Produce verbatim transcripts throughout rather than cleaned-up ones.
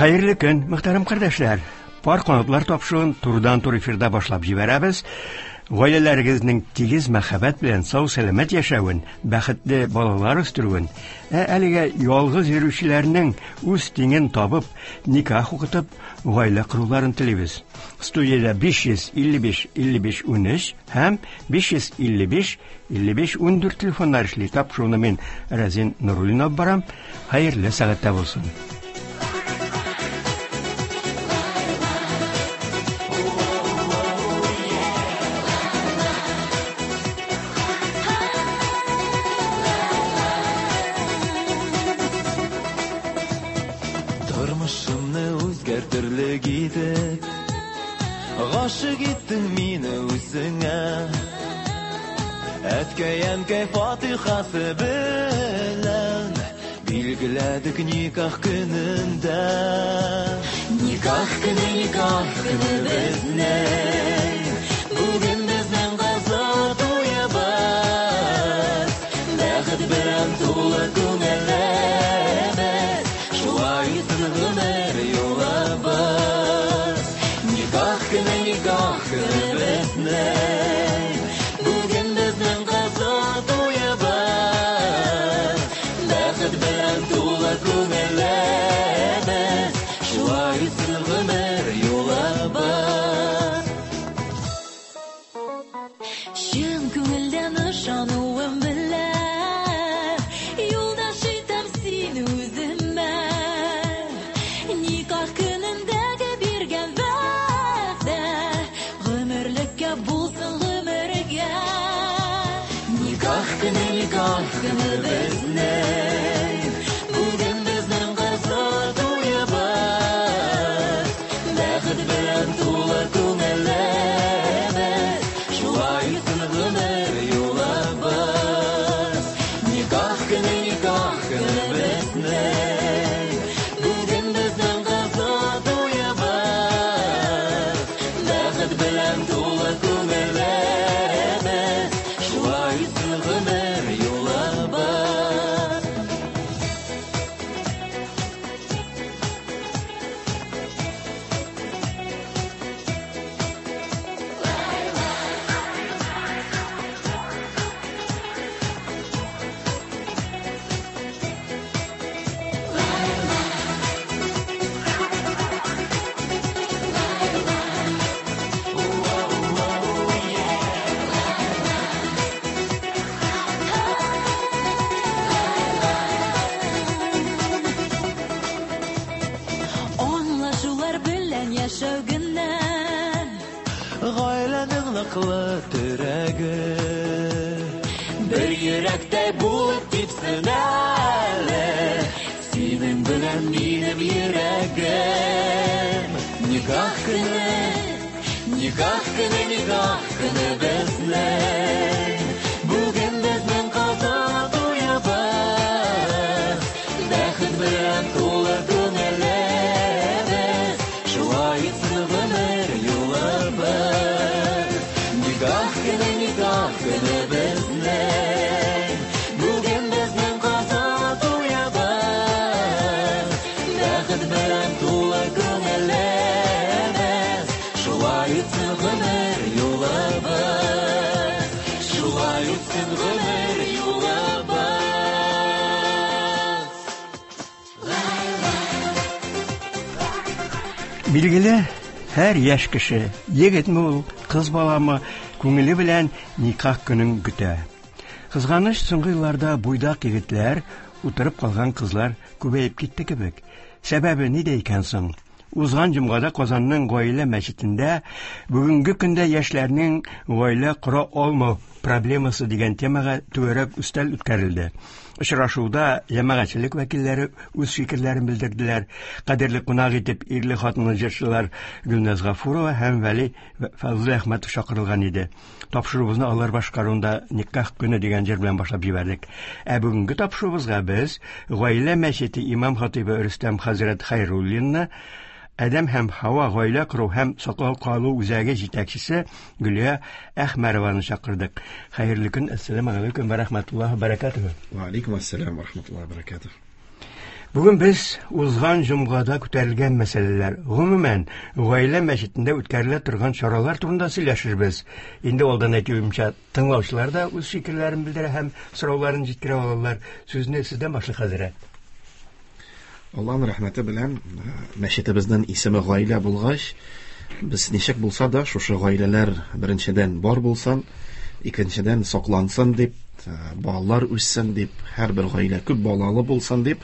Хәерле көн, мөхтәрәм кардәшләр. Пар канатлар тапшыруын турыдан-туры эфирда башлап җибәрәбез. Гаиләләрегезнең тигез мәхәббәт белән сау-сәламәт яшәвен, бәхетле балалар үстерүен, ә әлегә ялгыз йөрүчеләрнең үз тиңен табып, никах укытып, гаилә коруларын телибез. Студиядә биш йөз илле биш илле биш унөч һәм биш йөз илле биш илле биш ундүрт телефоннар эшли. Тапшыруны мин Разин Нуруллин алып барам. Хәерле сәгатьтә булсын. Тормышымны үзгәртерлек итеп гашык иттең мине үзеңә. Әткәй-әнкәй фатихасы белән билгеләдек никах көнендә. Никах көне, никах көне безнең, бүген безнең кызыл туебыз. Бәхет белән тулы күңелебез, шулай үтсен гомер юлыбыз. Никах көне, никах көне безнең, бүген безнең кызыл туебыз. Бәхет белән тулы күңелебез, шулай үтсен гомер юлыбыз. Чын күңелдән ышануым белән юлдаш итәм сине үземә. Никах көнендәге биргән вәгъдә гомерлеккә булсын гомергә. Никах көне, никах көне безнең, бүген безнең кызыл туебыз. Бәхет белән тулы күңелебез, шулай үтсен гомер юлыбыз. Никах көне, никах көне безнең, бүген безнең кызыл туебыз. Бәхет белән тулы күңелебез, шулай үтсен гомер юлыбыз. Аңлашулар белән яшәү генә гаиләнең ныклы терәге. Бер йөрәктәй булып типсен әле синең белән минем йөрәгем. Никах көне, никах көне, никах көне безнең, бүген безнең кызыл туебыз. Бәхет белән тулы күңелебез, шулай үтсен гомер юлыбыз. Никах көне, никах көне безнең, бүген безнең кызыл туебыз. Бәхет белән тулы күңелебез, шулай үтсен гомер юлыбыз. Шулай үтсен гомер юлыбыз. Билгеле, һәр яшь кеше, егетме ул, кыз баламы, күңеле белән никах көнен көтә. Кызганыч, соңгы елларда буйдак егетләр, утырып калган кызлар күбәеп китте кебек. Сәбәбе нидә икән соң? Узган җомгада Казанның гаилә мәчетендә бүгенге көндә яшьләрнең гаилә кора алмау проблемасы дигән темага түгәрәк өстәл үткәрелде. Очрашуда җәмәгатьчелек вәкилләре үз фикерләрен белдерделәр. Кадерле кунак итеп ирле хатынлы җырчылар Гөлназ Гафурова һәм Вәли Фазлыәхмәтов чакырылган иде. Тапшыруыбызны алар башкаруында Никах көне дигән җыр белән башлап җибәрдек. Ә бүгенге тапшыруыбызга без гаилә мәчете имам хатибы Рөстәм хәзрәт Хәйруллинны, Адәм һәм Һава гаилә кору һәм саклау калу үзәге җитәкчесе Гөлия Әхмәрованы чакырдык. Хәерле көн, әссәламү алейкум ва рахматуллаһи ва баракатуһу. Ва алейкум ассалам ва рахматуллаһи ва баракатуһу. Бүген без узган җомгада күтәрелгән мәсьәләләр, гомумән, гаилә мәчетендә үткәрелә торган чаралар турында сөйләшербез. Инде алдан әйтүемчә, тыңлаучылар да үз фикерләрен белдерә һәм сорауларын җиткерә алалар. Сүзне сездән башлыйк, хәзрәт. Аллаһның рәхмәте белән мәчетебезнең исеме гаилә булгач, без ничек булса да шушы гаиләләр беренчедән бар булсын, икенчедән саклансын дип, балалар үссен дип, һәрбер гаилә күп балалы булсын дип,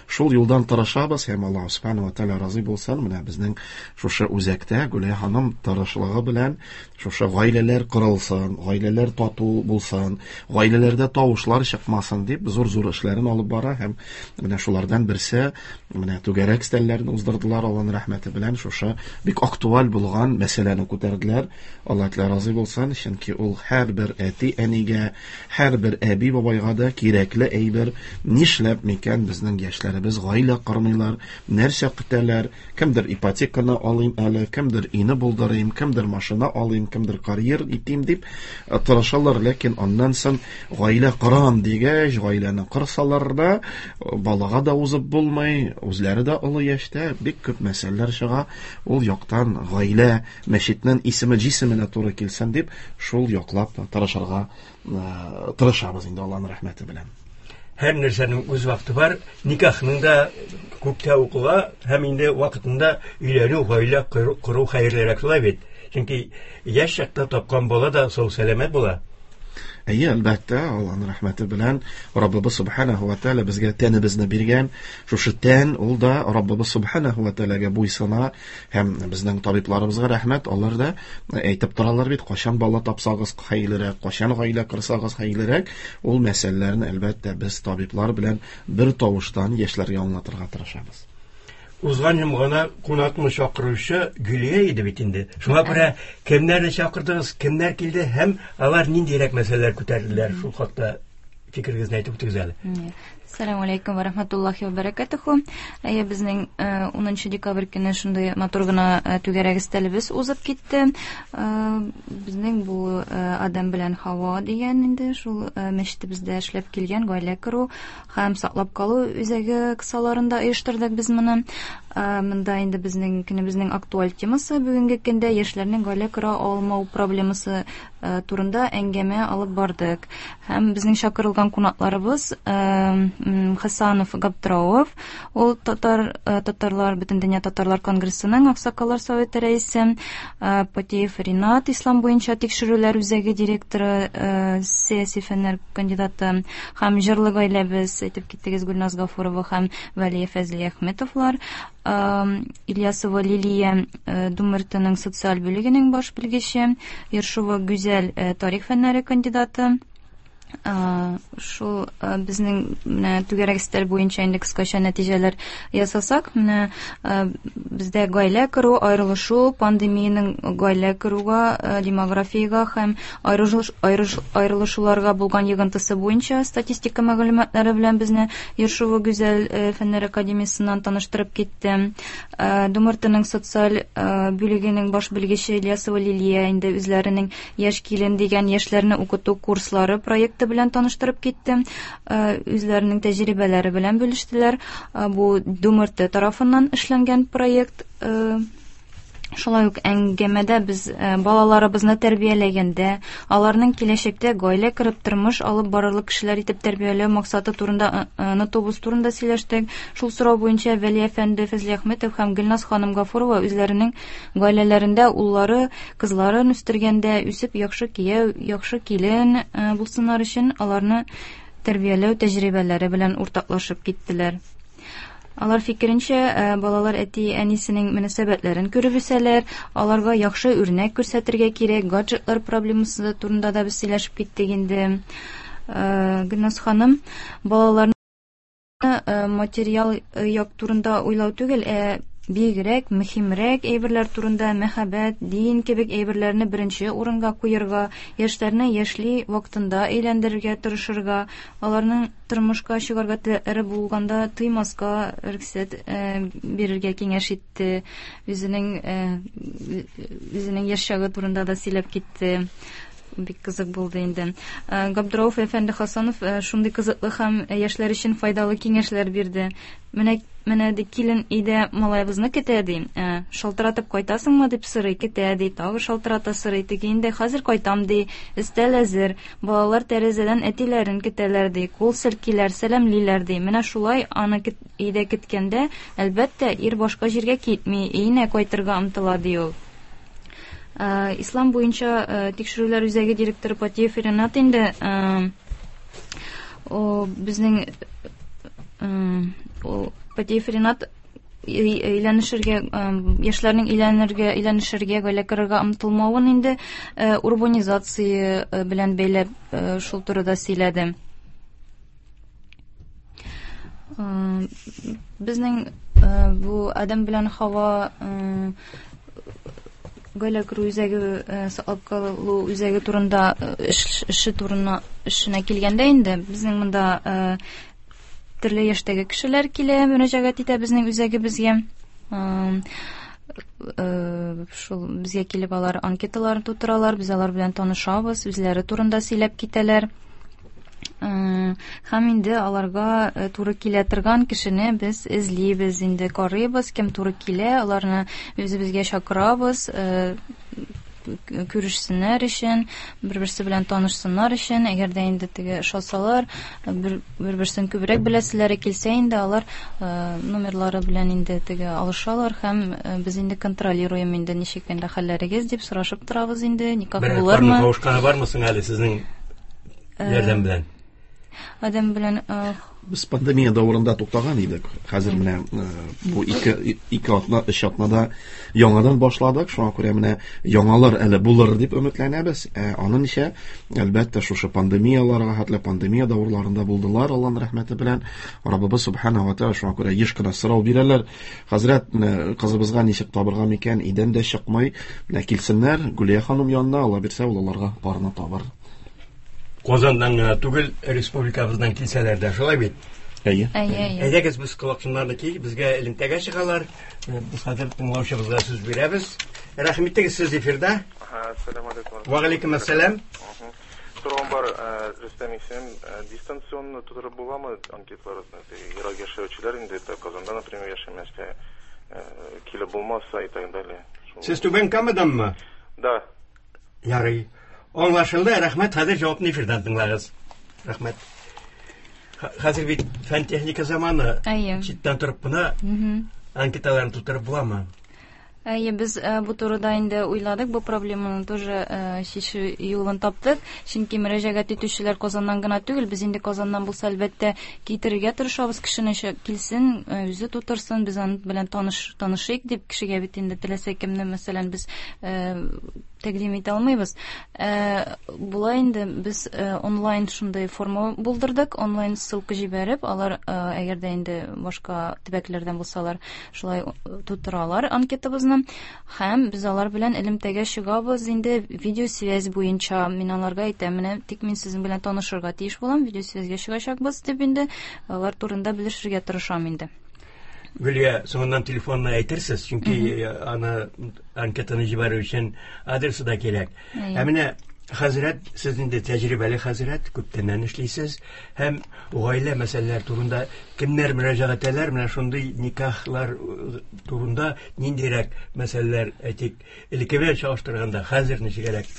шул юлдан тырышабыз һәм Аллаһ субханаһу ва тааля разый булсын. Менә безнең шушы үзәктә Гүләй ханым тырышлыгы белән шушы гаиләләр корылсын, гаиләләр тату булсын, гаиләләрдә тавышлар чыкмасын дип зур-зур эшләрен алып бара һәм менә шулардан берсе менә түгәрәк өстәлләрне уздырдылар. Аллаһның рәхмәте белән шушы бик актуаль булган мәсьәләне күтәрделәр. Аллаһ тәгалә разый булсын, чөнки ул һәрбер әти-әнигә, һәрбер әби-бабайга да кирәкле әйбер. Нишләп микән безнең яшьләребез гаилә кормыйлар, нәрсә көтәләр? Кемдер ипотеканы алыйм әле, кемдер өйне булдырыйм, кемдер машина алыйм, кемдер карьер итим дип тырышалар, ләкин аннан соң гаилә корам дигәч, гаиләне корсалар да, балага да узып булмый, үзләре дә олы яшьтә, бик күп мәсьәләләр чыга. Ул яктан гаилә мәчетнең исеме җисеменә туры килсен дип, шул яклап тырышырга тырышабыз инде Аллаһның рәхмәте белән. Һәр нәрсәнең үз вакыты бар. Никахның да күптә укыла һәм инде вакытында өйләнү, гаилә кору хәерлерәк шулай бит. Чөнки яшь чакта тапкан бала да сау сәламәт була. Әйе, әлбәттә, Аллаһның рәхмәте белән Раббыбыз субханаһу ва тааля безгә тәнебезне биргән. Шушы тән ул да Раббыбыз субханаһу ва тааляга буйсына һәм безнең табибларыбызга рәхмәт, алар да әйтеп торалар бит, кайчан бала тапсагыз хәерлерәк, кайчан гаилә корсагыз хәерлерәк. Ул мәсьәләләрне әлбәттә без табиблар белән бер тавыштан яшьләргә аңлатырга тырышабыз. Узган җомганы кунакны чакыручы Гөлия иде бит инде. Шуңа күрә кемнәрне чакырдыгыз, кемнәр килде һәм алар ниндирәк мәсьәләләр күтәрделәр, шул хакта фикерегезне әйтеп үтегез әле. Ассаламу алейкум ва рахматуллахи ва баракатуху. Әйе, безнең унынчы декабрь көне шундый матур гына түгәрәк өстәлебез узып китте. Безнең бу Адам белән Хава дигән инде шул мәчетебездә эшләп килгән гаилә кору һәм саклап калу үзәге кысаларында оештырдык без моны. Монда инде безнең көнебезнең актуаль темасы бүгенге көндә яшьләрнең гаилә кора алмау проблемасы турында әңгәмә алып бардык. Һәм безнең чакырылган кунакларыбыз Хасанов Габдрауов, ул татар татарлар Бөтендөнья татарлар конгрессының Аксакаллар советы рәисе, Патиев Ринат, Ислам буенча тикшерүләр үзәге директоры, сәяси фәннәр кандидаты, һәм җырлы гаиләбез әйтеп киттегез Гөлназ Гафурова һәм Вәлия Фәзли Әхмәтовлар, Ильясова Лилия Думертының социаль бүлегенең баш белгече, Ершова Гүзәл тарих фәннәре кандидаты. Шул безнең менә түгәрәк өстәл буенча инде кыскача нәтиҗәләр ясасак, менә бездә гаилә кору, аерылышу, пандемиянең гаилә коруга, демографиягә һәм аерылышуларга булган йогынтысы буенча статистика мәгълүматлары белән безне Ершова Гүзәл Фәннәр академиясеннән таныштырып китте. Думертының социаль бүлегенең баш белгече Ильясова Лилия инде үзләренең Яшь килен дигән яшьләрне укыту курслары проекты белән таныштырып китте. Үзләренең тәҗрибәләре белән бүлештеләр. Бу Думерте тарафыннан эшләнгән проект. Шулай ук әңгәмәдә без балаларыбызны тәрбияләгәндә, аларның киләчәктә гаилә корып тормыш алып барырлык кешеләр итеп тәрбияләү максаты турында онытуыбыз турында сөйләштек. Шул сорау буенча Вәли әфәнде Фәзли Әхмәтов һәм Гөлназ ханым Гафурова үзләренең гаиләләрендә уллары, кызларын үстергәндә үсеп яхшы кияү, яхшы килен булсыннар өчен аларны тәрбияләү тәҗрибәләре белән уртаклашып киттеләр. Алар фикеренчә, балалар әти-әнисенең мөнәсәбәтләрен күреп үсәләр, аларга яхшы үрнәк күрсәтергә кирәк, гаджетлар проблемасы турында да без сөйләшеп киттек инде. Гөлназ ханым, балаларны материал як турында уйлау түгел, ә бигрәк, мөһимрәк әйберләр турында, мәхәббәт, дин кебек әйберләрне беренче урынга куярга, яшьләрне яшьли вакытында әйләндерергә тырышырга, аларның тормышка чыгарга теләкләре булганда тыймаска рөхсәт бирергә киңәш итте. Үзенең үзенең яшь чагы турында да сөйләп китте. Бик кызык булды инде. Габдрауф әфәнде Хасанов шундый кызыклы һәм яшьләр өчен файдалы киңәшләр бирде. Менә менә ди килен өйдә малаебызны көтә ди. Шалтыратып кайтасыңмы дип сорый, көтә ди. Тагы шалтырата сорый. Теге инде хәзер кайтам ди. Өстәл әзер. Балалар тәрәзәдән әтиләрен көтәләр ди. Кул селкиләр, сәламлиләр ди. Менә шулай аны өйдә көткәндә, әлбәттә, ир башка җиргә китми, өенә кайтырга омтыла ди ул. Ислам буенча тикшерүләр үзәге директоры Патиев Ренат инде о безнең Патиев Ренат өйләнешергә, яшьләрнең өйләнергә, өйләнешергә, гаилә корырга омтылмавын инде урбанизация белән бәйләп шул турыда сөйләде. Безнең бу Адәм белән Хава гаилә кору үзәге, саклап калу үзәге турында эше турына эшенә килгәндә инде безнең монда төрле яшьтәге кешеләр килә, мөрәҗәгать итә безнең үзәгебезгә. Шул безгә килеп алар анкеталарын тутыралар, без алар белән танышабыз, үзләре турында сөйләп китәләр. Һәм инде аларга туры килә торган кешене без эзлибез, инде карыйбыз, кем туры килә, аларны үзебезгә чакырабыз, күрешсеннәр өчен, бер-берсе белән танышсыннар өчен. Әгәр дә инде теге ошасалар, бер-берсен күбрәк беләселәре килсә инде алар номерлары белән инде теге алышалар һәм без инде контролируем инде ничек инде хәлләрегез дип сорашып торабыз инде, никах булырмы? Бер кавышканы бармы соң әле сезнең ярдәм белән? Адәм белән без пандемия дәверендә туктаган идек. Хәзер менә бу ике ике атна, өч атнада яңадан башладык. Шуңа күрә менә яңалар әле булыр дип өметләнәбез. Ә аны ничә, әлбәттә, шушы пандемияларга хәтле пандемия дәверларында булдылар, Аллаһның рәхмәте белән. Раббыбыз субхана ва тааля шуңа күрә еш кына сорау бирәләр. Хәзрәт, менә кызыбызга ничек табырга микән? Идән дә чыкмый. Менә килсеннәр Гүлия ханым янына, Алла бирсә, ул аларга парны табыр. Казандан гына түгел, республикабыздан килсәләр дә, шулай бит? Әйе. Әйдәгез, без колакчыннарны киеп, безгә элемтәгә чыгалар. Без хәзер тыңлаучыбызга сүз бирәбез. Рәхим итегез, сез эфирда. Ассаламу алейкум. Ва алейкум ассалам. Сорауым бар, Рөстәм исемем. Дистанционно тутырып буламы анкеталарны? Ерак яшәүчеләр инде Казанда, например, яшәмәскә килеп булмаса и так далее. Сез Түбән Камаданмы? Да. Ярый. Аңлашылды, рәхмәт. Хәзер җавапны эфирдан тыңлагыз. Рәхмәт. Хәзер бит фән техника заманы. Читтән торып кына анкеталарны тутырып буламы? Әйе, без бу турыда инде уйладык, бу проблеманы тоже чишү юлын таптык. Чөнки мөрәҗәгать итүчеләр Казаннан гына түгел, без инде Казаннан булса әлбәттә китерергә тырышабыз, кешене килсен, үзе тутырсын, без аның белән таныш танышыйк дип кешегә бит инде теләсә кемне, мәсәлән, без тәкъдим итә алмыйбыз. Була инде без онлайн шундый форма булдырдык, онлайн ссылка җибәреп, алар әгәр дә инде башка төбәкләрдән булсалар, шулай тутыралар анкетабызны. Һәм без алар белән элемтәгә чыгабыз инде видеосвязь буенча. Мин аларга әйтәм, менә тик мин сезнең белән танышырга тиеш булам, видеосвязьгә чыгачакбыз дип инде алар турында белешергә тырышам инде. Гөлия, соңыннан телефонны әйтерсез, чөнки аны анкетаны җибәрү өчен адресы да кирәк. Ә менә хәзрәт, сез инде тәҗрибәле хәзрәт, күптәннән эшлисез һәм гаилә мәсьәләләре турында кемнәр мөрәҗәгать итәләр, менә шундый никахлар турында ниндирәк мәсьәләләр, әйтик, элекке белән чагыштырганда хәзер ничегрәк?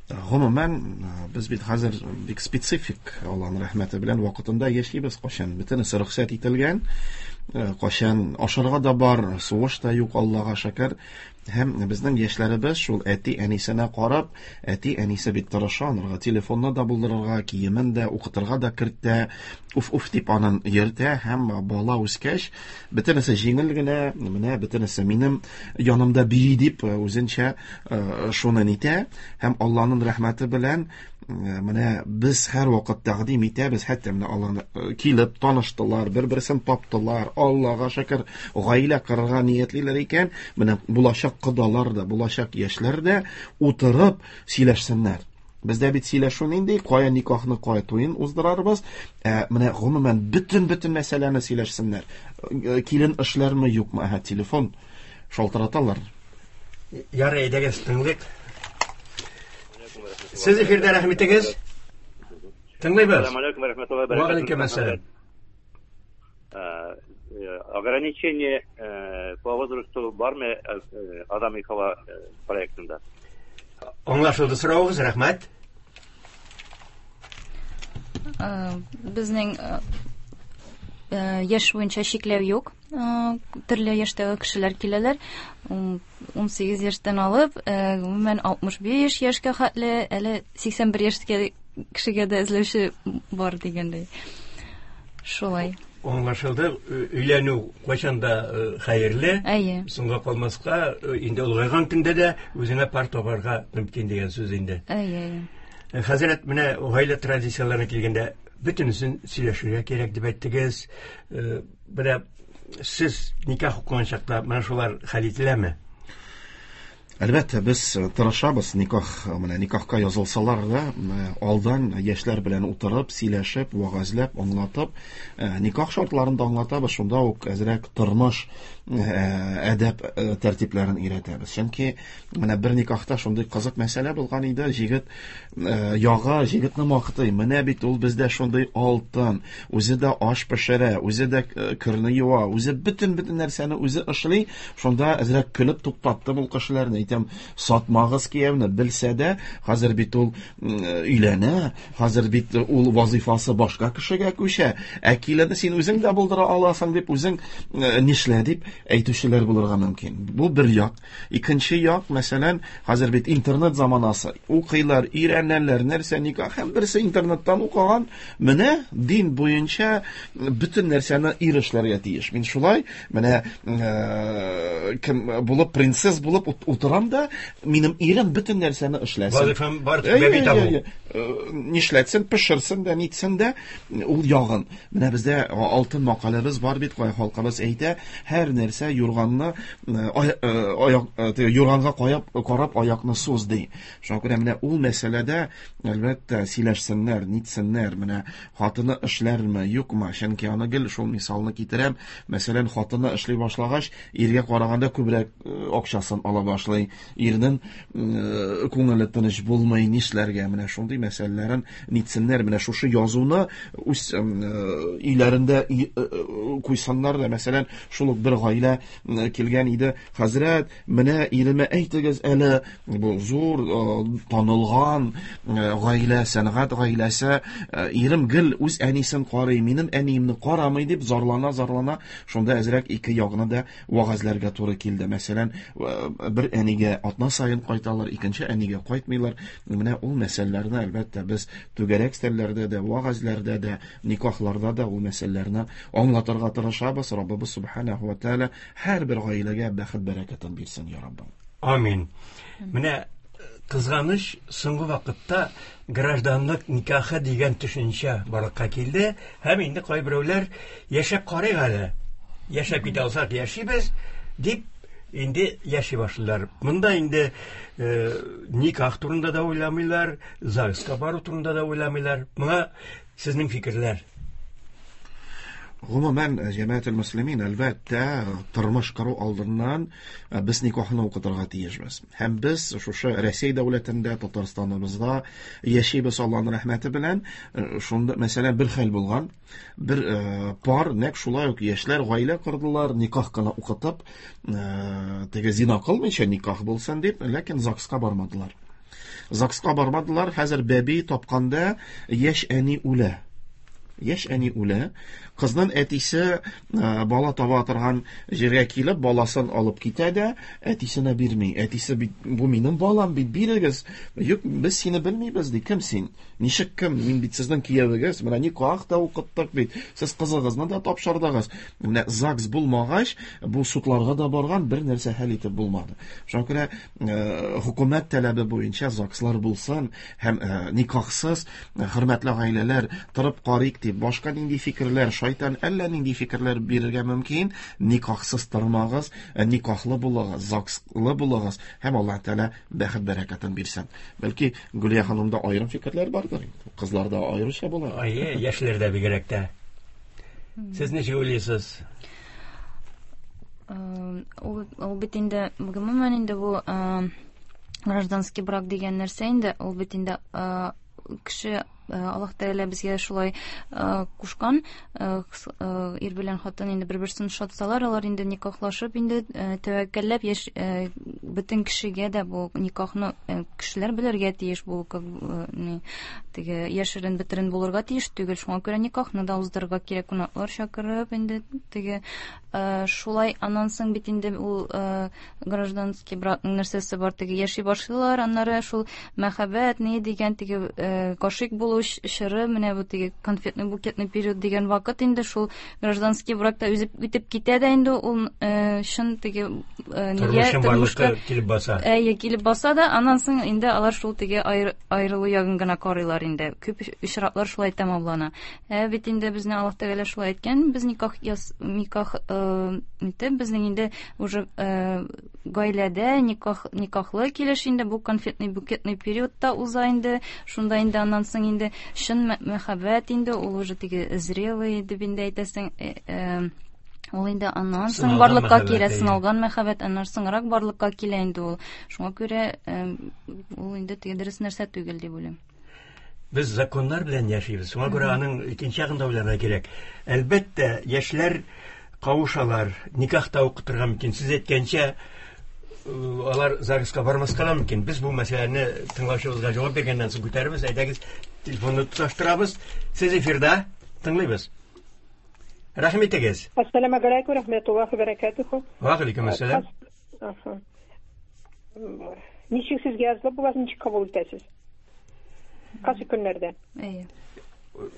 Гомумән, без бит хәзер бик специфик, Аллаһның рәхмәте белән вакытында яшибез, кайчан бөтенесе рөхсәт ителгән, кайчан ашарга да бар, сугыш та юк, Аллаһка шөкер. Һәм безнең яшьләребез шул әти-әнисенә карап, әти-әнисе бит тырыша, анарга телефонны да булдырырга, киемен дә, укытырга да кертә, уф-уф дип анын йөртә, һәм бала үскәч, бөтенесе җиңел генә, менә бөтенесе минем янымда бии дип үзенчә шуны нитә, һәм Аллаһның рәхмәте белән менә без һәр вакыт тәкъдим итәбез, хәтта менә аларны килеп таныштылар, бер-берсен таптылар, Аллаһка шөкер, гаилә корырга ниятлиләр икән, менә булачак кодалар да, булачак яшьләр дә утырып сөйләшсеннәр. Бездә бит сөйләшү нинди, кая никахны, кая туен уздырарбыз, ә менә гомумән бөтен-бөтен мәсьәләне сөйләшсеннәр. Килен эшләрме, юкмы, әһә, телефон шалтыраталар. Ярый, әйдәгез, тыңлыйк. Сез эфирдә, рәхим итегез. Тыңлыйбыз. Ассаламу алейкум ва рахматуллахи ва Ва баракатух. алейкум ассалам. Ограничение по возрасту бармы Адам и Хава проектында? Аңлашылды соравыгыз, рәхмәт. Безнең яшь буенча чикләү юк. Төрле яшьтәге кешеләр киләләр. ун сигез яшьтән алып, гомумән алтмыш биш яшькә хәтле, әле сиксән бер яшькә кешегә дә эзләүче бар дигәндәй. Шулай. Аңлашылды, өйләнү кайчан да хәерле. Әйе. Соңга калмаска, инде олыгайган көндә дә үзеңә пар табарга мөмкин дигән сүз инде. Әйе, әйе. Хәзрәт, менә гаилә традицияләренә килгәндә бөтенесен сөйләшергә кирәк дип әйттегез. Менә сез никах укыган чакта менә шулар хәл ителәме? Әлбәттә, без тырышабыз никах, менә никахка язылсалар да, алдан яшьләр белән утырып, сөйләшеп, вәгазьләп, аңлатып, никах шартларын да аңлатабыз, шунда ук әзрәк тормыш әдәп тәртипләрен өйрәтәбез. Чөнки менә бер никахта шундый кызык мәсьәлә булган иде, җегет ягы җегетне мактый. Менә бит ул бездә шундый алтын, үзе дә аш пешерә, үзе дә керне юа, үзе бөтен-бөтен нәрсәне үзе эшли. Шунда әзрәк көлеп туктаттым ул кешеләрне. Әйтәм, сатмагыз кияүне, белсә дә, хәзер бит ул өйләнә, хәзер бит ул вазифасы башка кешегә күчә. Ә киленне син үзең дә булдыра аласың дип, үзең нишлә дип әйтүчеләр булырга мөмкин. Бу бер як. Икенче як, мәсәлән, хәзер бит интернет заманасы. Укыйлар, өйрәнәләр, нәрсә никах, һәм берсе интернеттан укыган, менә дин буенча бөтен нәрсәне ир эшләргә тиеш. Мин шулай, менә кем булып, принцесс булып утырам да, минем ирем бөтен нәрсәне эшләсен. Вазифам бар, бәби табу. Нишләтсен, пешерсен дә, нитсен дә, ул ягын. Менә бездә алтын макаләбез бар бит, кай халкыбыз әйтә, һәр нәрсә юрганны аяк юрганга каеп карап аякны суз ди. Шуңа күрә менә ул мәсьәләдә әлбәттә сөйләшсеннәр, нитсеннәр, менә хатыны эшләрме, юкмы? Чөнки аны гел шул мисалны китерәм. Мәсәлән, хатыны эшли башлагач, иргә караганда күбрәк акчасын ала башлый. Ирнең күңеле тыныч булмый, нишләргә? Менә шундый мәсьәләләрен нитсеннәр, менә шушы язуны үз өйләрендә куйсыннар да. Мәсәлән, шул ук бер гаилә килгән иде. Хәзрәт, менә иремә әйтегез әле, бу зур танылган гаилә, сәнгать гаиләсе, ирем гел үз әнисен карый, минем әниемне карамый дип зарлана-зарлана, шунда әзрәк ике ягына да вәгазьләргә туры килде. Мәсәлән, бер әнигә атна саен кайталар, икенче әнигә кайтмыйлар. Менә ул мәсьәләләрне әлбәттә без түгәрәк өстәлләрдә дә, вәгазьләрдә дә, никахларда да ул мәсьәләләрне аңлатырга тырышабыз. Раббыбыз субханаһу ва тааля һәрбер гаиләгә бәхет бәрәкәтен бирсен, я Раббым. Амин. Менә кызганыч, соңгы вакытта гражданлык никахы дигән төшенчә барлыкка килде һәм инде кайберәүләр яшәп карыйк әле, яшәп китә алсак яшибез дип инде яши башлыйлар. Монда инде э, никах турында да уйламыйлар, ЗАГСка бару турында да уйламыйлар. Моңа сезнең фикерләр? Гомумән, җәмәгател мөслимин, әлбәттә, тормыш кору алдыннан без никахны укытырга тиешбез. Һәм без шушы Рәсәй дәүләтендә, Татарстаныбызда яшибез Аллаһның рәхмәте белән. Шунда, мәсәлән, бер хәл булган, бер пар нәкъ шулай ук яшьләр гаилә кордылар, никах кына укытып, теге зина кылмыйча никах булсын дип, ләкин ЗАГСка бармадылар. ЗАГСка бармадылар, хәзер бәби тапканда яшь әни үлә. Яшь әни үлә, кызның әтисе бала таба торган җиргә килеп, баласын алып китә дә, әтисенә бирми. Әтисе бит, бу минем балам бит, бирегез. Юк, без сине белмибез, ди. Кем син? Ничек кем? Мин бит сезнең киявегез. Менә никах та укыттык бит. Сез кызыгызны да тапшырдыгыз. Менә ЗАГС булмагач, бу судларга да барган, бер нәрсә хәл итеп булмады. Шуңа күрә хөкүмәт таләбе буенча ЗАГСлар булсын һәм никахсыз хөрмәтле гаиләләр торып карыйк дип, башка нинди фикерләр, шайтан әллә нинди фикерләр бирергә мөмкин. Никахсыз тормагыз, никахлы булыгыз, ЗАГСлы булыгыз һәм Аллаһ Тәгалә бәхет бәрәкәтен бирсен. Бәлки Гөлия ханымда аерым фикерләр бардыр, кызларда аеруча була. Әйе, яшьләрдә бигрәк тә. Сез ничек уйлыйсыз? Ул, ул бит инде, гомумән инде бу Гражданский брак дигән нәрсә инде, ул бит инде кеше Аллаһ Тәгалә безгә шулай кушкан, ир белән хатын инде бер-берсен ошатсалар, алар инде никахлашып инде тәвәккәлләп яш, бөтен кешегә дә бу никахны кешеләр белергә тиеш, бу как теге яшерен бетерен булырга тиеш түгел. Шуңа күрә никахны да уздырырга кирәк, кунаклар чакырып инде теге шулай. Аннан соң бит инде ул гражданский бракның нәрсәсе бар, теге яши башлыйлар, аннары шул мәхәббәт ни дигән теге гашыйк булу чоры, менә бу теге конфетный букетный период дигән вакыт инде шул гражданский бракта үзе үтеп китә дә инде ул чын теге нигә тормышка килеп баса. Әйе, килеп баса да, аннан соң инде алар шул теге аерылу ягын гына карыйлар инде. Күп очраклар шулай тәмамлана. Ә бит инде безне Аллаһ Тәгалә шулай әйткән, без никах никах итеп, безнең инде уже гаиләдә никах никахлы килеш инде бу конфетный букетный периодта уза инде. Шунда инде аннан соң инде чын мәхәббәт инде ул уже теге зрелый дип инде әйтәсең, ул инде аннан соң барлыкка килә, сыналган мәхәббәт аннан соңрак барлыкка килә инде ул. Шуңа күрә ул инде теге дөрес нәрсә түгел дип уйлыйм. Без законнар белән яшибез. Шуңа күрә аның икенче ягын да уйларга кирәк. Әлбәттә, яшьләр кавышалар, никахта укытырга мөмкин. Сез әйткәнчә, алар ЗАГСка бармаска да мөмкин. Без бу мәсьәләне тыңлаучыбызга җавап биргәннән соң күтәрәбез. Әйдәгез, телефонны тоташтырабыз. Сез эфирда, тыңлыйбыз. Рәхим итегез. Ассаламу алейкум рахматуллахи ва баракатуху. Ва алейкум ассалам. Ничек сезгә язылып була, ничек кабул итәсез? Кайсы көннәрдә? Әйе.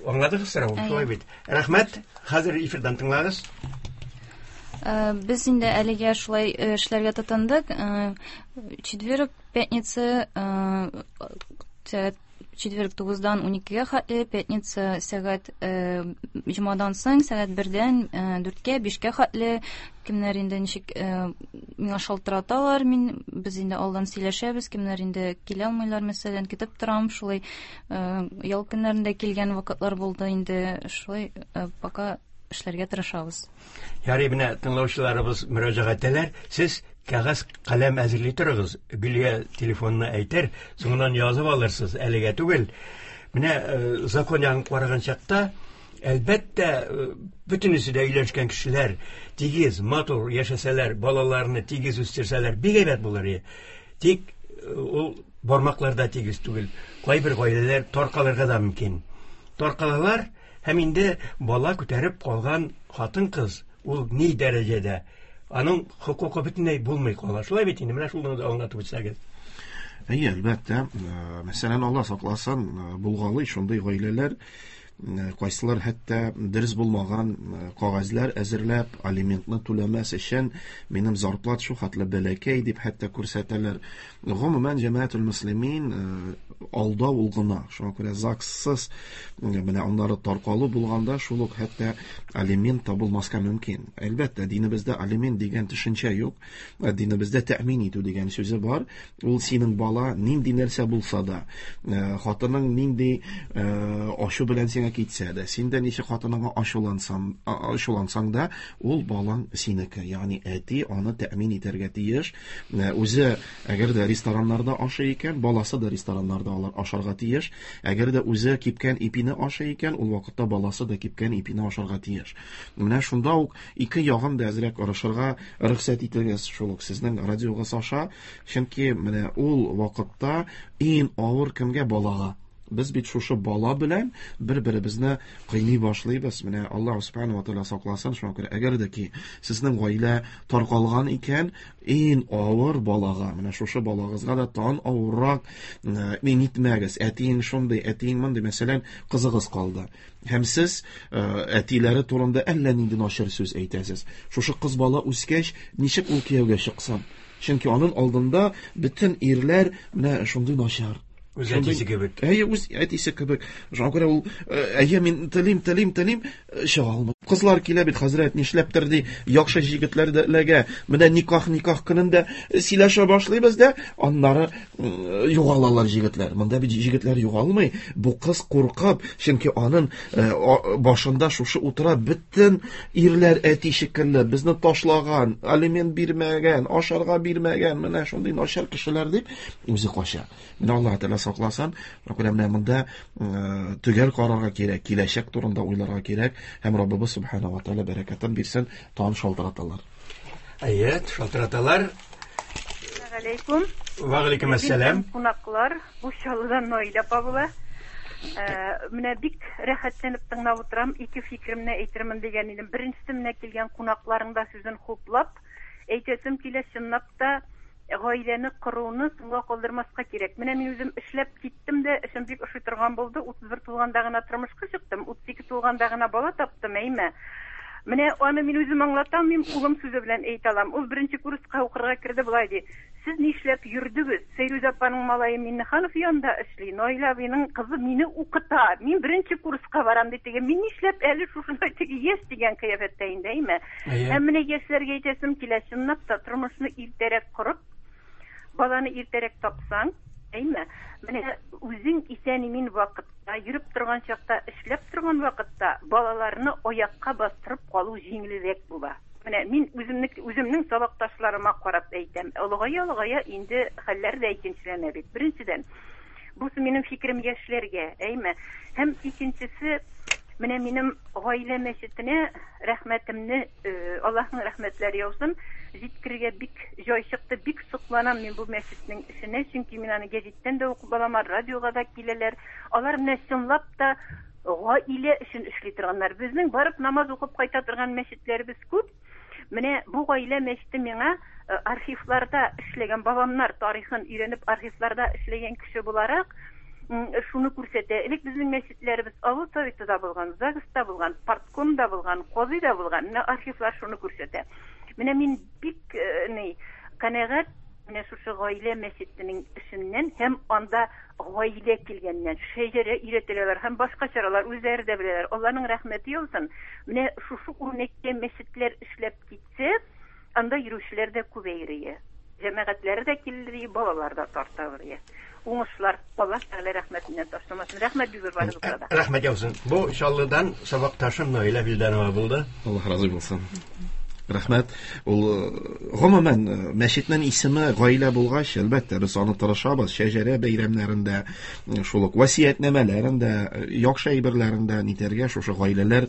Аңладыгыз сорауны, шулай бит. Рәхмәт. Хәзер эфирдан тыңлагыз. Без инде әлегә шулай эшләргә тотындык. Четверг, пятница, сәгать четверг тугыздан уникегә хәтле, пятница сәгать җомадан соң сәгать бердән дүрткә, бишкә хәтле. Кемнәр инде ничек миңа шалтыраталар, мин без инде алдан сөйләшәбез, кемнәр инде килә алмыйлар, мәсәлән, көтеп торам, шулай ял көннәрендә килгән вакытлар булды инде, шулай пока эшләргә тырышабыз. Ярый, менә тыңлаучыларыбыз мөрәҗәгать итәләр. Сез кәгазь каләм әзерли торыгыз. Гөлия телефонны әйтер, соңыннан язып алырсыз, әлегә түгел. Менә закон ягын караган чакта, әлбәттә, бөтенесе дә өйләнешкән кешеләр тигез, матур яшәсәләр, балаларны тигез үстерсәләр, бик әйбәт булыр иде. Тик ул бармакларда тигез түгел. Кайбер гаиләләр таркалырга да мөмкин. Таркалалар һәм инде бала күтәреп калган хатын-кыз ул ни дәрәҗәдә, аның хокукы бөтенләй булмый кала. Шулай бит инде, менә шуны да аңлатып үтсәгез. Әйе, әлбәттә. Мәсәлән, Алла сакласын, булгалый шундый гаиләләр, кайсылар хәтта дөрес булмаган кәгазьләр әзерләп, алиментны түләмәс өчен минем зарплат шу хәтле бәләкәй дип хәтта күрсәтәләр. Гомумән, җәмәгатул мөслимин алдау ул гына. Шуңа күрә ЗАГСсыз менә аннары таркалу булганда шул ук хәтта алимент табылмаска мөмкин. Әлбәттә, динебездә алимент дигән төшенчә юк. Динебездә тәэмин итү дигән сүзе бар. Ул синең бала нинди нәрсә булса да, хатының нинди ашу белән сиңа китсә дә, син дә ничек хатыныңа ачулансаң, ачулансаң да, ул балаң синеке. Ягъни әти аны тәэмин итәргә тиеш. Үзе әгәр дә рестораннарда ашый икән, баласы да рестораннарда алар ашарга тиеш. Әгәр дә үзе кипкән ипине ашый икән, ул вакытта баласы да кипкән ипине ашарга тиеш. Менә шунда ук ике ягын да әзрәк орышырга рөхсәт итегез шул ук сезнең радиогыз аша, чөнки менә ул вакытта иң авыр кемгә? Балага. Без бит шушы бала белән бер-беребезне кыйный башлыйбыз. Менә Аллаһ субханаһу ва тааля сакласын. Шуңа күрә әгәр дә ки сезнең гаилә таркалган икән, иң авыр балага, менә шушы балагызга да тан авыррак мин итмәгез. Әтиең шундый, әтиең мондый, мәсәлән, кызыгыз калды. Һәм сез әтиләре турында әллә нинди начар сүз әйтәсез. Шушы кыз бала үскәч, ничек ул кияүгә чыксын? Чөнки аның алдында бөтен ирләр менә шундый начар. Үз әтисе кебек. Әйе, үз әтисе кебек. Шуңа күрә ул, әйе, мин телим, телим, телим, чыга алмый. Кызлар килә бит, хәзрәт, нишләптер ди, яхшы җегетләр дә эләгә. Менә никах, никах көнендә сөйләшә башлыйбыз да, аннары югалалар җегетләр. Монда бит җегетләр югалмый. Бу кыз куркып, чөнки аның башында шушы утыра бөтен ирләр әти шикелле, безне ташлаган, алимент бирмәгән, ашарга бирмәгән, менә шундый начар кешеләр дип үзе кача. Менә Аллаһ Тәгалә сакласын. Менә монда төгәл карарга кирәк, киләчәк турында уйларга кирәк һәм Раббыбыз Субхана ва Тәгалә бәрәкәтен бирсен, тагын шалтыраталар. Әйе, шалтыраталар. Алейкум. Ва алейкум ассалам. Кунаклар, бу Чаллыдан Наилә апа була. Менә бик рәхәтләнеп тыңлап утырам, ике фикеремне әйтермен дигән идем. Беренчесе, менә килгән кунакларның да сүзен хуплап, әйтәсем килә, чынлап та гаиләне коруны соңга калдырмаска кирәк. Менә мин үзем эшләп киттем дә, эшем бик ошый торган булды. утыз бер тулганда гына тормышка чыктым, утыз ике тулганда гына бала таптым, әйме. Менә аны мин үзем аңлата алмыйм, улым сүзе белән әйтә алам. Ул беренче курска укырга керде, болай ди: "Сез нишләп йөрдегез? Сәйрүзә апаның малае Миннеханов янында эшли, Наилә абыйның кызы мине укыта. Мин беренче курска барам" ди. Теге, мин нишләп әле шушындай теге яшь дигән кыяфәттә инде, әйме? Һәм менә яшьләргә әйтәсем килә, чынлап та тормышны иртәрәк корып, баланы иртәрәк тапсаң, әйме? Менә үзең исән-имин вакытта, йөреп торган чакта, эшләп торган вакытта балаларны аякка бастырып калу җиңелрәк була. Менә мин үземне, үземнең сабакташларыма карап әйтәм. Олыгая, олыгая инде хәлләр дә икенчеләнә бит. Беренчедән, бусы минем фикерем яшьләргә, әйме? Һәм икенчесе, менә минем гаилә мәчетенә рәхмәтемне, Аллаһның рәхмәтләре яусын, җиткерергә бик җай чыкты, бик сокланам мин бу мәчетнең эшенә, чөнки мин аны гәзиттән дә укып алам, радиога да киләләр. Алар менә чынлап та гаилә өчен эшли торганнар. Безнең барып намаз укып кайта торган мәчетләребез күп. Менә бу гаилә мәчете миңа архивларда эшләгән бабамнар тарихын өйрәнеп архивларда эшләгән кеше буларак шуны күрсәтә. Элек безнең мәчетләребез авыл советы да булган, ЗАГСта булган, парткомда булган, казыйда булган. Менә архивлар шуны күрсәтә. Менә мин бик ни канәгать менә шушы гаилә мәчетенең эшеннән һәм анда гаилә килгәннән шәҗәрә өйрәтәләр һәм башка чаралар үзләре дә беләләр. Аллаһның рәхмәте яусын. Менә шушы үрнәктә мәчетләр эшләп китсә, анда йөрүчеләр дә күбәер. Җәмәгатьләре дә килер, балалар да тартылыр. Уңышлар, Аллаһ Тәгалә рәхмәтеннән ташламасын. Рәхмәт бик зур барыгызга да. Рәхмәт яусын. Бу Чаллыдан сабакташым Наилә Вилданова булды. Аллаһ разый булсын. Рәхмәт. Ул гомумән мәчетнең исеме гаилә булгач, әлбәттә, без аны тырышабыз. Шәҗәрә бәйрәмнәрендә, шул ук васыятьнамәләрендә, яхшы әйберләрендә нитәргә шушы гаиләләр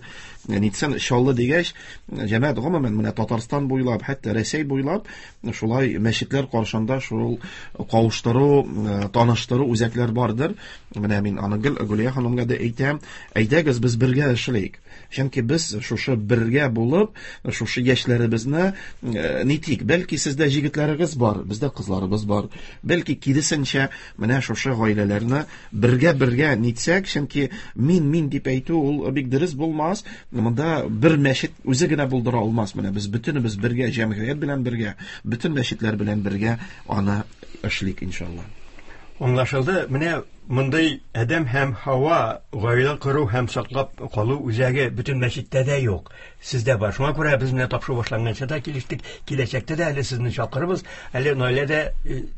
нитсен. Чаллы дигәч, җәмәгать гомумән менә Татарстан буйлап, хәтта Рәсәй буйлап шулай мәчетләр каршында шул кавыштыру, таныштыру үзәкләр бардыр. Менә мин аны гел Гөлия ханымга да әйтәм, әйдәгез без бергә эшлик. Чөнки без шушы бергә булып, шушы яшьләребезне нитик. Бәлки сездә җегетләрегез бар, бездә кызларыбыз бар. Бәлки киресенчә менә шушы гаиләләрне бергә-бергә нитсәк, чөнки мин-мин дип әйтү ул бик дөрес булмас. Монда бер мәчет үзе генә булдыра алмас. Менә без бөтенебез бергә, җәмгыять белән бергә, бөтен мәчетләр белән бергә аны эшлик иншалла. Аңлашылды. Менә мондый Адәм һәм Һава гаилә кору һәм саклап калу үзәге бөтен мәчеттә дә юк. Сездә бар. Шуңа күрә без менә тапшыру башланганча да килештек. Киләчәктә дә әле сезне чакырыбыз. Әле Наилә дә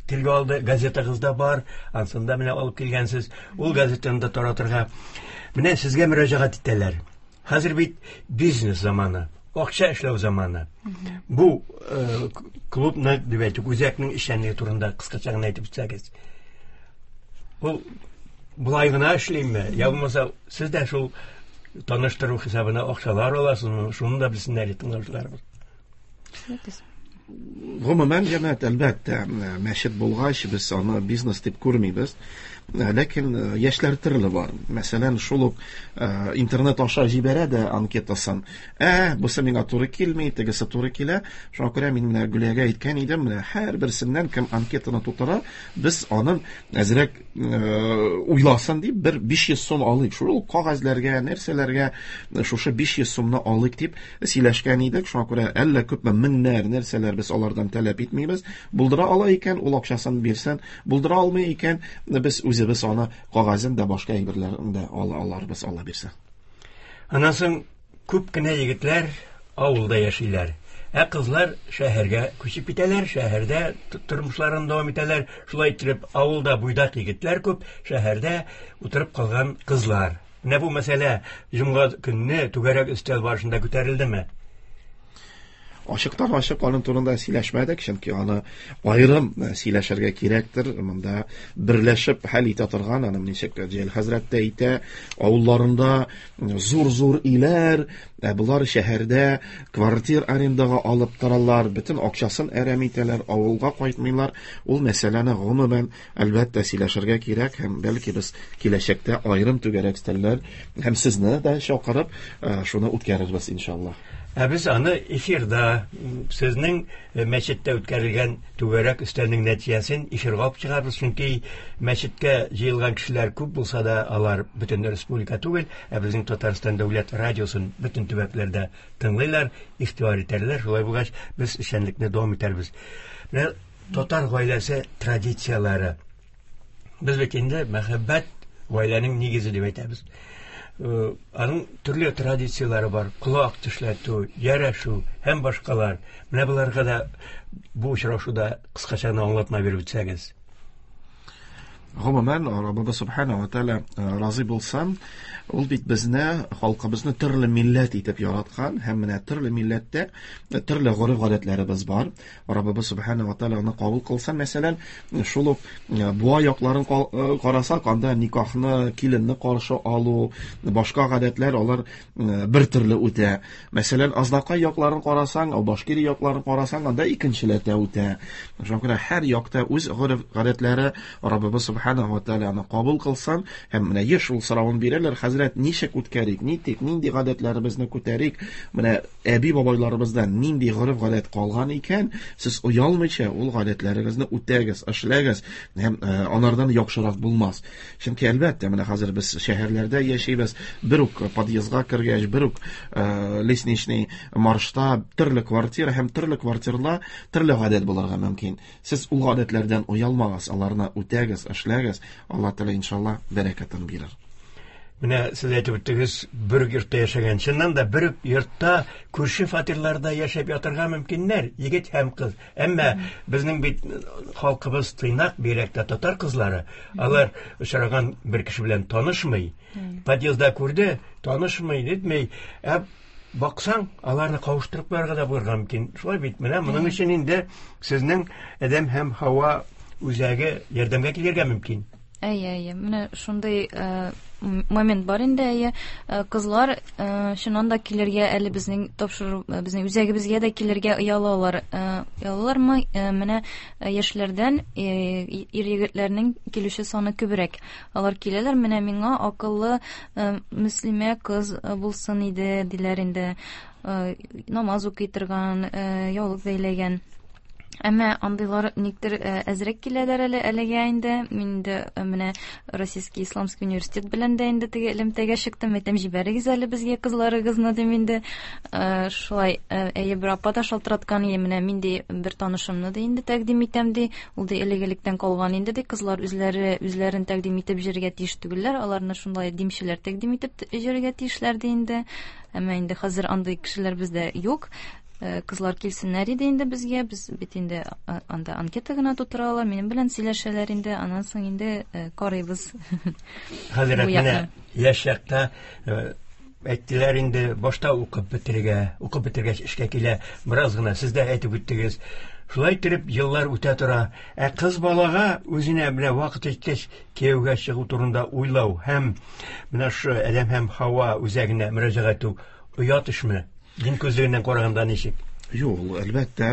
телгә алды, газетагыз да бар. Ансын да менә алып килгәнсез. Ул газетаны да таратырга. Менә сезгә мөрәҗәгать итәләр. Хәзер бит бизнес заманы, акча эшләү заманы. Бу клубны дип әйтик, үзәкнең эшчәнлеге турында кыскача гына әйтеп үтсәгез. Ул болай гына эшлиме? Я булмаса, сез дә шул таныштыру хисабына акчалар аласызмы? Шуны да белсеннәр тыңлаучыларыбыз. Гомумән, җәмәгать, әлбәттә, мәчет булгач, без аны бизнес дип күрмибез. Ләкин яшьләр төрле бар. Мәсәлән, шул ук интернет аша җибәрә дә анкетасын. Ә, бусы миңа туры килми, тегесе туры килә. Шуңа күрә мин менә Гөлиягә әйткән идем, менә һәрберсеннән кем анкетаны тутыра, без аның әзрәк уйласын дип бер биш йөз сум алыйк. Шул кәгазьләргә, нәрсәләргә шушы биш йөз сумны алыйк дип сөйләшкән идек. Шуңа күрә әллә күпме меңнәр, нәрсәләр бирсеннәр, без алардан таләп итмибез. Булдыра ала икән, ул акчасын бирсен, булдыра алмый икән, без үзебез аны кагазын да башка әйберләрен дә ала аларбыз, Алла бирсә. Аннан соң күп кенә егетләр авылда яшиләр. Ә кызлар шәһәргә күчеп китәләр, шәһәрдә тормышларын дәвам итәләр. Шулай итеп, авылда буйдак егетләр күп, шәһәрдә утырып калган кызлар. Менә бу мәсьәлә җомга көнне түгәрәк өстәл барышында күтәрелдеме? Ашыктан ашык аның турында сөйләшмәдек, чөнки аны аерым сөйләшергә кирәктер. Монда берләшеп хәл итә торган, аны ничек Җәлил хәзрәт тә әйтә, авылларында зур-зур өйләр, ә болар шәһәрдә квартир арендага алып торалар, бөтен акчасын әрәм итәләр, авылга кайтмыйлар. Ул мәсьәләне гомумән әлбәттә сөйләшергә кирәк һәм бәлки без киләчәктә аерым түгәрәк өстәлләр һәм сезне дә чакырып шуны үткәрербез иншалла. Ә без аны эфирда сезнең мәчеттә үткәрелгән түгәрәк өстәлнең нәтиҗәсен эфирга алып чыгарбыз, чөнки мәчеткә җыелган кешеләр күп булса да, алар бөтен республика түгел, ә безнең Татарстан дәүләт радиосын бөтен төбәкләрдә тыңлыйлар, игътибар итәләр. Шулай булгач, без эшчәнлекне дәвам итәрбез. Менә татар гаиләсе традицияләре. Без бит инде мәхәббәт гаиләнең нигезе дип әйтәбез. Аның төрле традицияләре бар: колак тешләтү, ярәшү һәм башкалар. Менә боларга да бу очрашуда кыскача гына аңлатма биреп үтсәгез. Гомумән, Раббыбыз Субхана ва Тааля разый булсын, ул бит безне, халкыбызны төрле милләт итеп яраткан һәм менә төрле милләттә төрле гореф-гадәтләребез бар. Раббыбыз Субхана ва Тааля аны кабул кылсын. Мәсәлән, шул ук Буа якларын карасак, анда никахны, киленне каршы алу, башка гадәтләр алар бер төрле үтә. Мәсәлән, Азнакай якларын карасаң, Башкирия якларын карасаң, анда икенчеләтә үтә. Шуңа күрә һәр якта үз гореф-гадәтләре. Раббыбыз Субхана ва Тааля аны кабул кылсын. Һәм менә еш ул соравын бирәләр: хәзрәт, ничек үткәрик, нитик, нинди гадәтләребезне күтәрик, менә әби бабайларыбыздан нинди гореф-гадәт калган икән, сез оялмыйча ул гадәтләрегезне үтәгез, эшләгез, һәм анардан яхшырак булмас. Чөнки әлбәттә, менә хәзер без шәһәрләрдә яшибез, бер үк подъездга кергәч, бер үк лестничный маршта төрле квартира һәм төрле квартиралар төрле гадәт булырга мөмкин. Сез ул гадәтләрдән оялмагыз, аларны үтәгез, эшләгез. Алла Тәгалә иншалла бәрәкәтен бирер. Менә сез әйтеп үттегез, бер үк йортта яшәгән. Чыннан да бер үк йортта күрше фатирларда яшәп ятырга мөмкиннәр, егет һәм кыз. Әмма безнең бит халкыбыз тыйнак, бигрәк тә татар кызлары, алар очраган бер кеше белән танышмый. Подъездда күрде, танышмый, нитмей. Ә баксаң, аларны кавыштырып куярга да булырга мөмкин. Шулай бит, менә моның өчен инде сезнең Адәм һәм Һава үзәге ярдәмгә килергә мөмкин. Әйе, әйе. Менә шундый момент бар инде, әйе. Кызлар чыннан да килергә әле безнең тапшыру, безнең үзәгебезгә дә килергә оялалар. Оялалармы? Менә яшьләрдән ир-егетләрнең килүче саны күбрәк. Алар киләләр, менә миңа акыллы мөслимә кыз булсын иде, диләр инде. Намаз укый торган, яулык бәйләгән. Әмма андыйлар никтер әзрәк киләләр әле әлегә инде. Мин инде менә Российский исламский университет белән дә инде теге элемтәгә чыктым. Әйтәм, җибәрегез әле безгә кызларыгызны дим инде. Шулай, әйе, бер апа да шалтыраткан, е, менә мин ди бер танышымны да инде тәкъдим итәм ди. Ул ди элек-электән калган инде ди. Кызлар үзләре үзләрен тәкъдим итеп җиргә тиеш түгелләр, аларны шундай димчеләр тәкъдим итеп җиргә тиешләр ди инде. Әмма инде хәзер андый кешеләр бездә юк. Кызлар килсеннәр иде инде безгә, без бит инде анда анкета гына тутыра алар, минем белән сөйләшәләр инде, аннан соң инде карыйбыз. Хәзер менә яшь чакта әйттеләр инде, башта укып бетерергә, укып бетергәч эшкә килә, бераз гына сез дә әйтеп үттегез. Шулай итеп еллар үтә тора. Ә кыз балага үзенә менә вакыт җиткәч кияүгә чыгу турында уйлау һәм менә шу Адәм һәм Һава үзәгенә мөрәҗәгать итү оят эшме? Дин күзлегеннән караганда ничек? Юк, ул әлбәттә,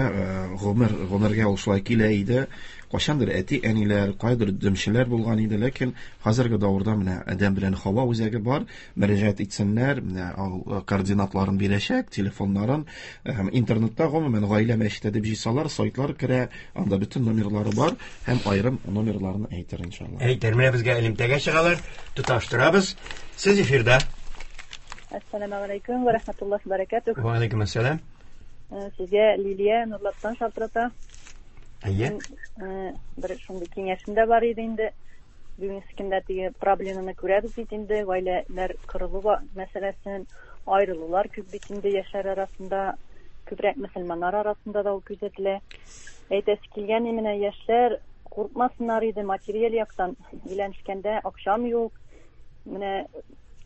гомер, гомергә ул шулай килә иде. Кайчандыр әти-әниләр, кайдыр димчеләр булган иде, ләкин хәзерге дәвердә менә Адәм белән Һава үзәге бар, мөрәҗәгать итсеннәр, менә ул координатларын бирәчәк, телефоннарын, һәм интернетта гомумән гаилә мәчете дип җыйсалар, сайтлар керә, анда бөтен номерлары бар һәм аерым номерларын әйтер иншалла. Әйтер, менә безгә элемтәгә чыгалар, тоташтырабыз. Сез эфирда. Ассаламу алейкум ва рахматуллахи ва баракатух. Ва алейкум ассалам. Сезгә Лилия Нурлаттан шалтырата. Әйе. Бер шундый киңәшем дә бар иде инде. Бүгенге көндә теге проблеманы күрәбез бит инде, гаиләләр кырылу мәсьәләсен, аерылулар күп бит инде яшьләр арасында, күбрәк мөселманнар арасында да ул күзәтелә. Әйтәсе килгән, менә яшьләр куркмасыннар иде материаль яктан. Өйләнешкәндә акчам юк, менә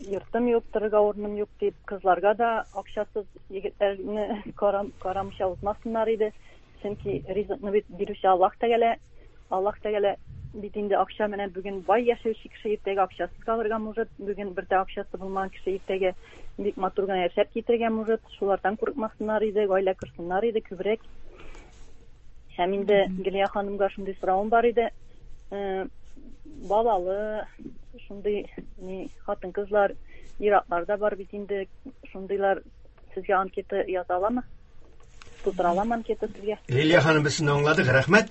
йортым юк, торырга урыным юк дип, кызларга да акчасыз егетләрне карам карамыйча узмасыннар иде. Чөнки ризыкны бит бирүче Аллаһ Тәгалә, Аллаһ Тәгалә бит инде акча менән бүген бай яшәүче кеше иртәгә акчасыз калырга может, бүген бер дә акчасы булмаган кеше иртәгә бик матур гына яшәп китәргә может. Шулардан курыкмасыннар иде, гаилә корсыннар иде күбрәк. Һәм инде Гөлия ханымга шундый соравым бар иде. Балалы шундый ни хатын-кызлар, ир-атлар да бар бит инде, шундыйлар сезгә анкета яза аламы? Тутыра аламы анкета сезгә? Лилия ханым, без сезне аңладык, рәхмәт.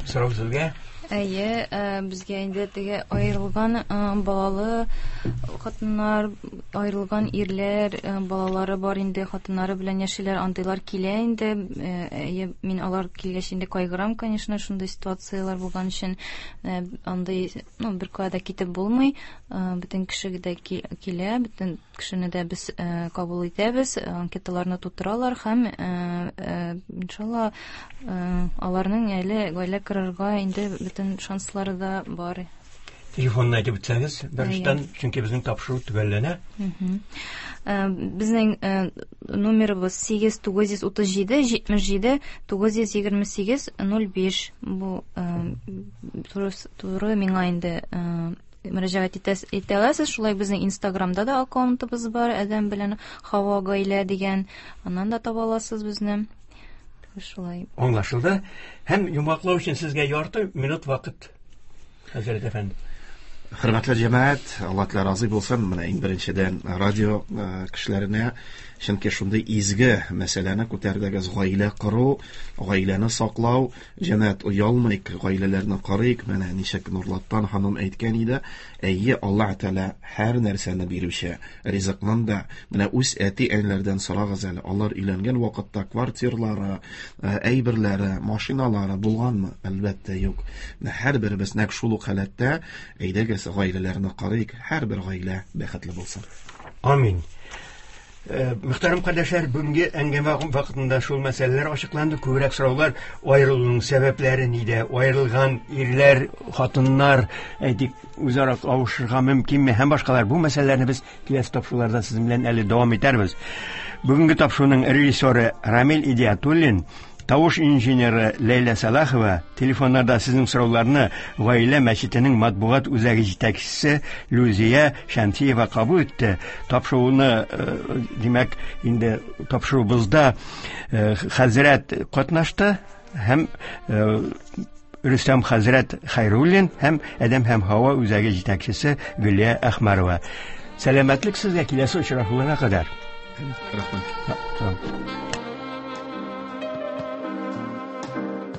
Сорау сезгә. Әйе, безгә инде теге аерылган балалы хатыннар, аерылган ирләр, балалары бар инде, хатыннары белән яшиләр, андыйлар килә инде. Әйе, мин алар килгәч инде кайгырам, конечно, шундый ситуацияләр булган өчен андый, ну, бер кая да китеп булмый. Бөтен кеше дә килә, бөтен кешене дә без кабул итәбез, анкеталарны тутыралар һәм иншалла аларның әле гаилә корырга инде бөтен шанслары да бар. Телефонны әйтеп үтсәгез, беренчедән, чөнки безнең тапшыру төгәлләнә. Безнең номерыбыз сигез тугыз йөз утыз җиде җитмеш җиде тугыз йөз егерме сигез ноль биш. Бу туры миңа инде мөрәҗәгать итә аласыз. Шулай безнең Инстаграмда да аккаунтыбыз бар, Адәм белән Хава гаилә дигән. Аннан да таба аласыз безне. Шулай. Аңлашылды. Һәм йомгаклау өчен сезгә ярты минут вакыт, хәзрәт әфәнде. Хөрмәтле җәмәгать, Алла Тәгалә разый булсын. Менә иң беренчедән радио кешеләренә, чөнки шундый изге мәсьәләне күтәрдегез: гаилә кору, гаиләне саклау. Җәмәгать, оялмыйк, гаиләләрне карыйк. Менә ничек Нурлаттан ханым әйткән иде, әйе, Алла Тәгалә һәр нәрсәне бирүче, ризыкның да. Менә үз әти-әниләрдән сорагыз әле, алар өйләнгән вакытта квартирлары, әйберләре, машиналары булганмы? Әлбәттә, юк. Менә һәрберебез нәкъ шул ук халәттә. Әйдәгез, гаиләләрне карыйк, һәрбер гаилә бәхетле булсын. Амин. Мөхтәрәм кардәшләр, бүгенге әңгәмә вакытында шул мәсьәләләр ачыкланды. Күбрәк сораулар аерылуның сәбәпләре нидә, аерылган ирләр, хатыннар, әйтик, үзара кавышырга мөмкинме һәм башкалар. Бу мәсьәләләрне без киләсе тапшыруларда сезнең белән әле дәвам итәрбез. Бүгенге тапшыруның режиссеры Рамил Идиатуллин, тавыш инженеры Ләйлә Салахова, телефоннарда сезнең сорауларны Гаилә мәчетенең матбугат үзәге җитәкчесе Люзия Шәмсиева кабул итте. Тапшыруны, димәк, инде тапшыруыбызда хәзрәт катнашты һәм Рөстәм хәзрәт Хәйруллин һәм Адәм һәм Һава үзәге җитәкчесе Гөлия Әхмәрова. Сәламәтлек сезгә, киләсе очрашуларга кадәр. Рәхмәт.